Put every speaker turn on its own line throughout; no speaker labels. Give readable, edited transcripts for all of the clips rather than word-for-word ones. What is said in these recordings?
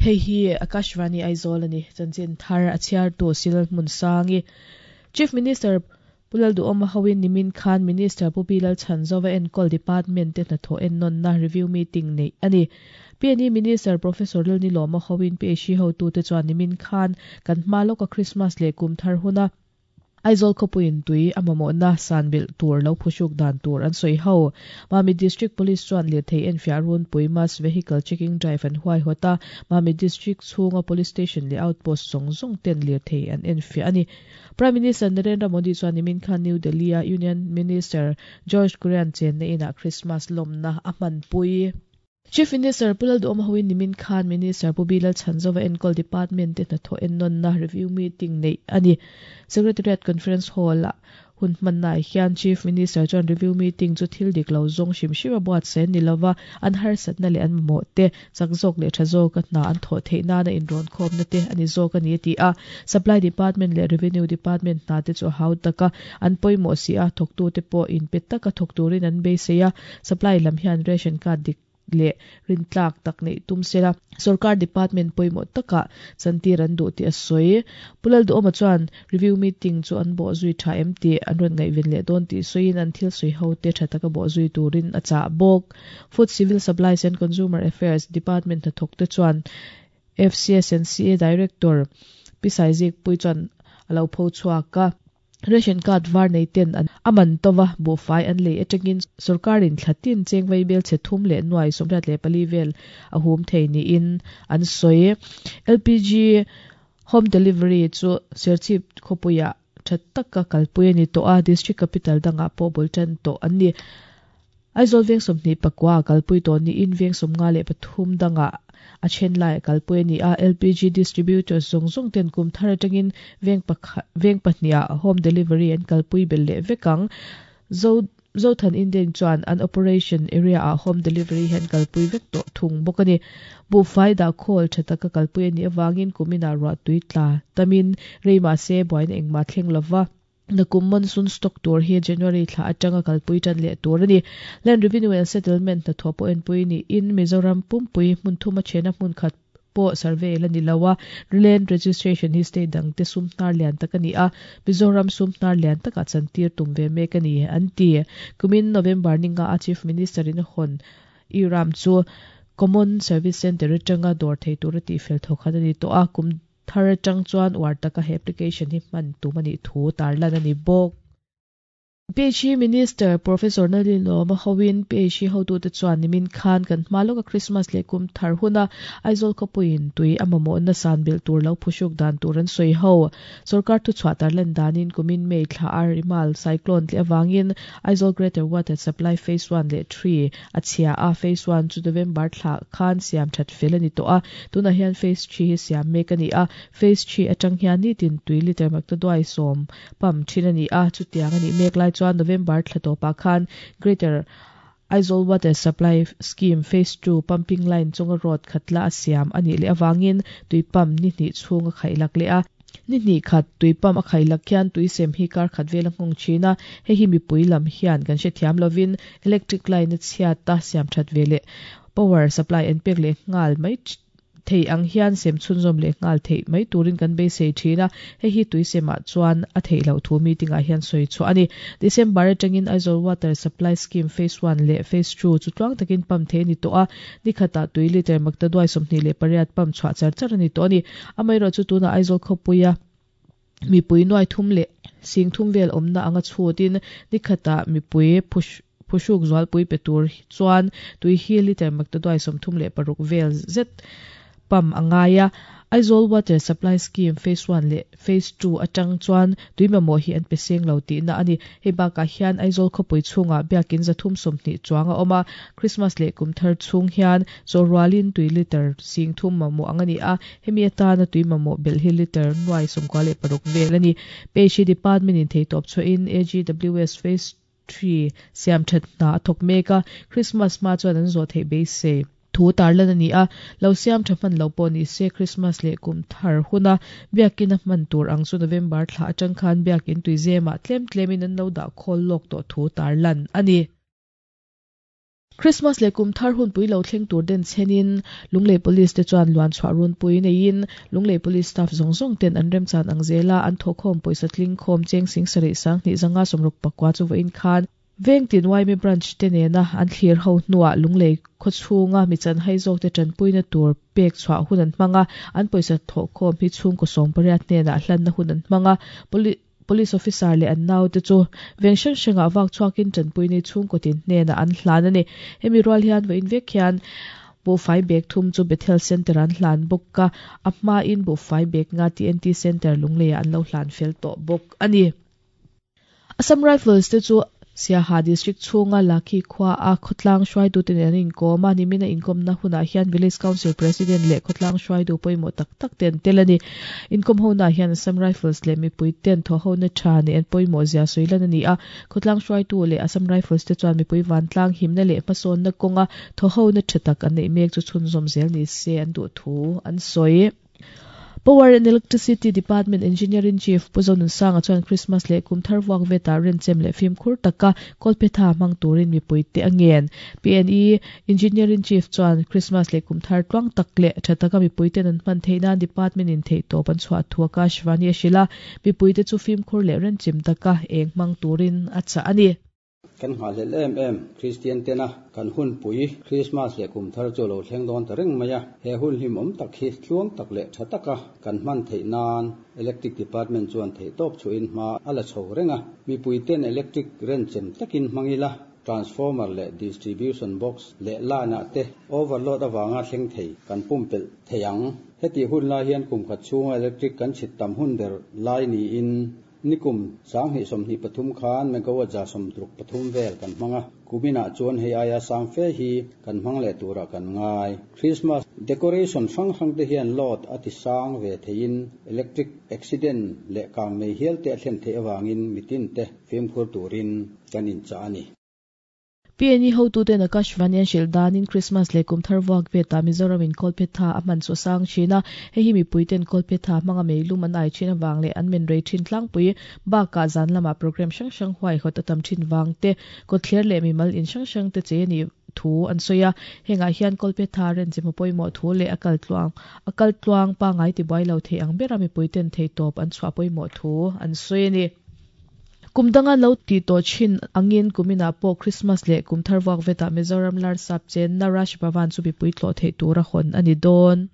Hei hi Akashvani Aizawl a ni. Chanchin thar a chhiartu Silal Hmunsangi. Chief Minister Pu Lalduhawma hoin nimin khan Minister Pu Pi Lalchhanzova enkawl Department te hnathawh ennawnna review meeting neih a ni. PNE Minister Professor Lalnilawma hoin PHE hotute chuan nimin khan kan hma lawka Christmas leh kum thar huna Aizawl khawpuiin tui a mamawhna san belh tur lo phuhruk dan tur an sawi ho. Mamit District Police chuan lirthei enfiah runpui Mass Vehicle Checking Drive an huaihawt a, Mamit District chhunga Police Station leh Outpost zawng zawng ten lirthei an enfiah a ni. Prime Minister Narendra Modi chuan nimin khan New Delhi-a Union Minister George Kurian chenna inah Christmas lawmna a hmanpui. Chief Minister Pu Lalduhawma hoin nimin khan Minister Pu Bilal Chhanzova enkawl Department te hnathawh ennawnna review meeting neih a ni. Secretariat Conference Hall-ah hun hmannaah hian Chief Minister chuan review meeting chu thil dik lo zawng hrim hrim a buatsaih a ni lova, an harsatna leh an mamawh te chak zawk leh tha zawka hna an thawh theih nana inrawnkhawmna te a ni zawk a ni a ti a. Supply Department leh Revenue Department hna te chu a hau tak a, an pawimawh si a, thawktute pawh inpe taka thawk turin an beisei a. Supply lam hian ration card dik leh rintlak tak neih tum sela, sorkar department pawimawh takah chantir an duh tih a sawi. Pu Lalduhawma chuan review meeting chu an bawh zui tha em tih an rawn ngaihven leh dawn tih sawiin an thil sawi ho te tha taka bawh zui turin a chah bawk. Food, Civil Supplies and Consumer Affairs Department hnathawk te chuan FCS and CA Director Pi Saizikpuii chuan a lo pho chhuak a. Ration card var nei ten an a man to va, buhfai an lei atangin sorkarin thla tin cheng vaibel chhe thum leh nuai 84 vel a hum thei niin an sawi. LPG home delivery chu Serchhip khawpuiah tha taka kalpui a ni tawh a, district capital dangah pawh bul tan tawh an ni. Aizawl veng 29 a kalpui tawh niin veng 53 dangah a then laiah kalpui a ni a, LPG distributors zawng zawng ten kum thar atangin veng pakhat veng pahniha home delivery an kalpui belh leh vek ang. Zo Zothan Indian chuan an operation area ah home delivery hi an kalpui vek tawh thung bawk a ni. Buhfai dah khawl tha taka kalpui a nih avangin kuminah ruahtui tla tamin rei mahse buaina engmah thleng lova. Nakum monsoon stock tur hi January thla atanga kalpui tan leh tur a ni. Land Revenue and Settlement hnathawh pawh enpui niin Mizoram pumpui hmun thuma thena hmun khat pawh survey la ni lo a, Land Registration hi state dangte sum hnar lian tak a ni a, Mizoram sum hnar lian takah chantir tum ve mek a ni, an ti. Kumin November ninga a Chief Minister in a hawn E-Ram chu Common Service Centre atanga dawr thei tura tihfel thawkhat a ni tawh a, kum Thar atang chuan uar taka he application hi hman tum a nih thu tarlan a ni bawk. PHE Minister Professor Nalin Lawma hoin PHE hotute chuan nimin khan kan hma lawka Christmas leh kum thar huna Aizawl khawpuiin tui a mamawhna san belh tur lo phuhruk dan tur an sawi ho. Sorkar thuchhuah tarlan danin kumin May thla a Rimal cyclone tleh avangin Aizawl Greater Water Supply Phase One leh Three a chhia a, Phase One chu November thla khan siam that fel a ni tawh a, tunah hian Phase Three hi siam mek a ni a, Phase Three atang hian nitin tui liter maktaduai sawm pump thin a ni a, chutiang a nih mek lai chuan November thla tawpah khan Greater Aizawl Water Supply Scheme Phase Two pumping line chunga road khatla a siam a nih leh avangin tui pump ni hnih chhung a khaihlak leh a. Ni hnih khat tui pump a khaihlak hian tui sem hi kar khat vel a nghawng thin a, hei hi mipui lam hian kan hrethiam lovin electric line a chhiat a siam that ve leh power supply an pek leh nghal mai thei ang hian sem chhunzawm leh nghal theih mai turin kan beisei thin a, hei hi tui semah chuan a theih loh thu meeting ah hian sawi chhuah a ni. December atangin Aizawl Water Supply Scheme Phase One leh Phase Two chu tluang takin pump thei a ni tawh a, ni khatah tui liter maktaduai 28 pump chhuah char char a ni tawh a ni. Amaherawhchu tunah Aizawl khawpuia mipui nuai thum leh sing thum vel awmna anga chhutin ni khatah mipui phuhruk zualpui pe tur chuan tui hi liter maktaduai 36 vel zet pump a ngai a. Aizawl Water Supply Scheme Phase One leh Phase Two atang chuan tui mamawh hi an pe seng lo tihna a ni. Hei bakah hian Aizawl khawpui chhungah biakin 320 chuang a awm a, Christmas leh kum thar chhung hian chawhrualin tui liter sing thum mamawh ang a ni a, hemi atana tui mamawh belh hi liter nuai 96 vel a ni. Page hi Department in theitawp chhuahin AGWS Phase Three siam that hna a thawk mek a, Christmas hma chuan an zawh theih beisei thu tarlan a ni a, lo siam tha hman lo pawh ni se Christmas leh kum thar huna biakin a hman tur ang chu November thla atang khan biakin tuizemah tlem tlemin an lo dah khawl lawk tawh thu tarlan a ni. Christmas leh kum thar hunpui lo thleng tur den chhenin Lunglei Police te chuan luan chhuah runpui neiin Lunglei Police staff zawng zawng ten an remchan ang zela an thawhkhawm pawisa tling khawm cheng sing sarih sanghnih zanga sawmruk pakua chu vawiin khan Vengtin yma Branch te nena an thlir ho hnuah Lunglei khawchhunga mi chanhai zawk te tanpuina tur pek chhuah hun an hmang a, an pawisa thawhkhawm hi chhungkaw sawmpariat hnenah hlanna hun an hmang a, Police officer leh an naute chu veng hrang hrangah vak chhuakin tanpui nei chhungkaw tin hnenah an hlan a ni. Hemi rual hian vawiin vek hian buhfai bag thum chu Bethel Centre an hlan bawk a, a hmain buhfai bag nga TNT Centre Lungleiah an lo hlan fel tawh bawk a ni. Assam Rifles te chu Siaha District chhunga Lakhi khua a khawtlang hruaitute nen an inkawm a, nimina inkawmna hunah hian Village Council President leh khawtlang hruaitu pawimawh tak tak te an tel a ni. Inkawm honaah hian Assam Rifles leh mipui ten thawhhona tha nih an pawimawh zia sawi lan a ni a, khawtlang hruaitu leh Assam Rifles te chuan mipui vantlang himna leh hmasawnna kawnga thawhhona tha tak an neih mek chu chhunzawm zel ni se an duh thu an sawi. Power and Electricity Department Engineer-in-Chief Pu Zonunsanga chuan Christmas leh kum thar vuak vetah renchem leh fimkhur taka kawlphetha hmang turin mipuite a ngen. PNE Engineer-in-Chief chuan Christmas leh kum thar tluang tak leh tha taka mipuiten an hman theih nan Department-in theihtawp an chhuah thu Akashvani a hrilh a, mipuite chu fimkhur leh renchem taka eng hmang turin a chah a ni.
Kan nghahhlelh em em, Kristian tena kan hunpui Krismas leh kum thar chu a lo thleng dawn ta reng mai a. He hun hlimawm tak hi tluang tak leh tha taka kan hman theih nan Electric Department chuan theihtawp chhuahin hma a la chho reng a. Mipui ten electric renchem takin hmang ila, transformer leh distribution box leh line ah te overload avanga thleng thei kan pumpelh thei ang. Hetih hun lai hian kum khat chhunga electric kan chhit tam hun ber lai niin Nikum 2023 khan megawatt 63 vel kan hmang a, kuminah chuan hei aia sang fe hi kan hmang leh turah kan ngai. Christmas decoration hrang hrang te hian load a ti sang ve theiin electric accident leh kang nei hial te a thlen theih avangin mitin te fimkhur turin kan inchah a ni.
PNE hotuten Akashvani an hrilh danin Christmas leh kum thar vuak vetah Mizoram in kawlphetha a hman chu a sang thin a, hei hi mipuiten kawlphetha hmanga meilum an ai thin avang leh an men rei thin tlangpui bakah zan lamah program hrang hrang huaihawt a tam thin vang te, kawtthler leh mimal in hrang hrang te chei a nih thu an sawi a. Hengah hian kawlphetha renchem a pawimawh thu leh a kal tluang a kal tluang pangai tibuai lo thei ang bera mipuiten theihtawp an chhuah pawimawh thu an sawi a ni. Kum danga lo tih tawh thin angin kuminah pawh Christmas leh kum thar vuak vetah Mizoram Larsap chenna Raj Bhavan chu mipui tlawh theih tura hawn a ni dawn.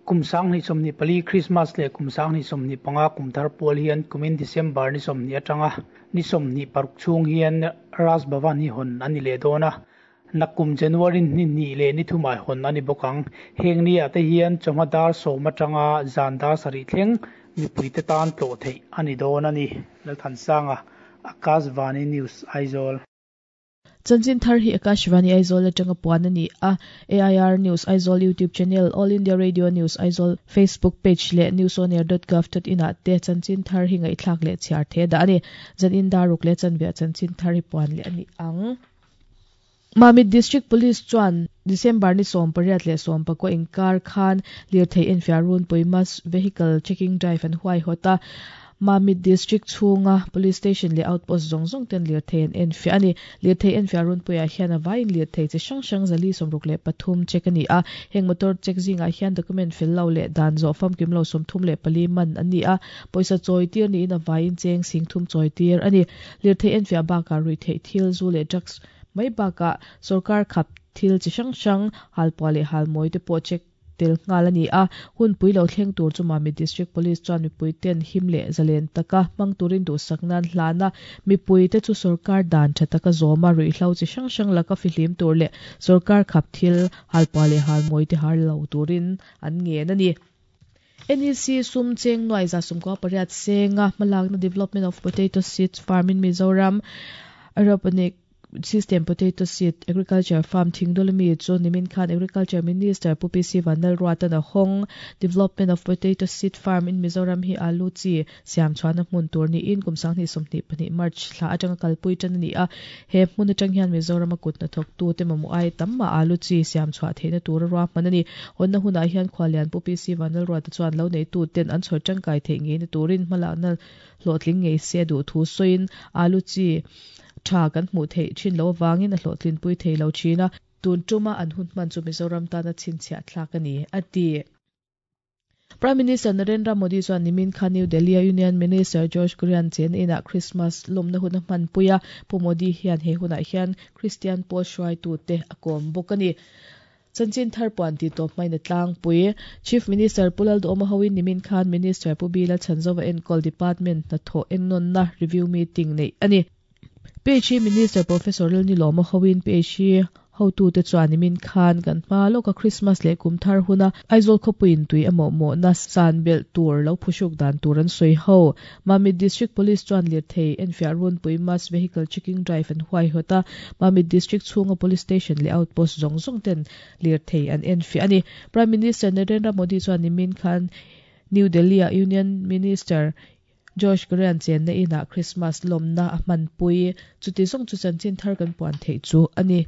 Kum 2024 Christmas leh kum 2025 kum thar pual hian kumin December ni 20 atanga ni 26 chhung hian Raj Bhavan hi hawn a ni leh dawn a, Nakkum January ni hnih leh ni thumah hawn a ni bawk ang. Heng ni ah te hian chawhma dar sawm atanga zan dar sarih thleng mipuite tan tlawh theih a ni dawn a ni. Lalthansanga, Akashvani News, Aizawl.
Chanchin thar hi Akashvani Aizawl atanga puan a ni a, AIR News Aizawl YouTube channel, All India Radio News Aizawl Facebook page leh newsonair.gov.in ah te chanchin thar hi ngaihthlak leh chhiar thei a dah a ni. Zan in dar ruk leh chanveah chanchin thar hi puan leh a ni ang. Mamit District Police chuan December ni 18 leh 19 inkar khan lirthei enfiah runpui Mass Vehicle Checking Drive an huaihawt a, Mamit District chhunga Police Station leh Outpost zawng zawng ten lirthei an enfiah a ni. Lirthei enfiah runpuiah hian a vaiin lirthei chi hrang hrang 463 check a ni a, heng motor check zingah hian document fel lo leh dan zawh famkim lo 34 man an ni a, pawisa chawi tir niin a vaiin cheng singthum chawi tir a ni. Lirthei enfiah bakah ruihtheih thil, zu leh drugs mai bakah sorkar khap thil chi hrang hrang, halpuah leh halmawi te pawh check tel nghal a ni a. Hunpui lo thleng tur chu Mamit District Police chuan mipui ten him leh zalen taka hmang turin duhsak nan hlan a, mipui te chu sorkar dan tha taka zawma ruihhlo chi hrang hrang laka fihlim tur leh sorkar khap thil, halpuah leh halmawi te har lo turin an ngen a ni. NEC sum cheng nuai 118 senga hmalakna Development of Potato Seeds Farm in Mizoram Aeroponic System Potato Seed Agriculture Farm Thingdawl ami chu nimin khan Agriculture Minister Pu PC Vanlalruatan a hawng. Development of Potato Seed Farm in Mizoram hi alu chi siam chhuahna hmun tur niin kum 2022 March thla atanga kalpui tan a ni a. He hmun atang hian Mizoram a kut hnathawk tu te mamawh ai tam mah alu chi siam chhuah theihna tur a ruahman a ni. Hawnna hunah hian Khualian Pu PC Vanlalruata chuan lo neitu ten an chhawr tangkai theih ngeina turin hmalakna hlawhtling ngei se a duh thu sawiin alu chi tha kan hmuh theih thin lo avangin a hlawhtlinpui thei lo thin a. Tun tuma an hun hman chu Mizoram tana chhinchhiah thlak a ni, a ti. Prime Minister Narendra Modi chuan nimin khan New Delhi-a Union Minister George Kurian chen inah Christmas lawmna hun a hmanpui a, Pu Modi hian he hunah hian Kristian pawl hruaitute a kawm bawk a ni. Chanchin thar puan tih tawp hmain a tlangpui. Chief Minister Pu Lalduhawma hoin nimin khan Minister Pu Bila Chhanzova enkawl Department hnathawh ennawnna review meeting neih a ni. PHE Minister Professor Lalnilawma hoin PHE hotute chuan nimin khan kan hma lawka Christmas leh kum thar huna Aizawl khawpuiin tui a mawhmawhna san belh tur lo phuhruk dan tur an sawi ho. Mamit District Police chuan lirthei enfiah runpui Mass Vehicle Checking Drive an huaihawt a, Mamit District chhunga Police Station leh Outpost zawng zawng ten lirthei an enfiah a ni. Prime Minister Narendra Modi chuan nimin khan New Delhi-a Union Minister Josh Korean chenna inah Christmas lawmna a hmanpui. Chuti zawng chu chanchin thar kan puan theih chu a ni.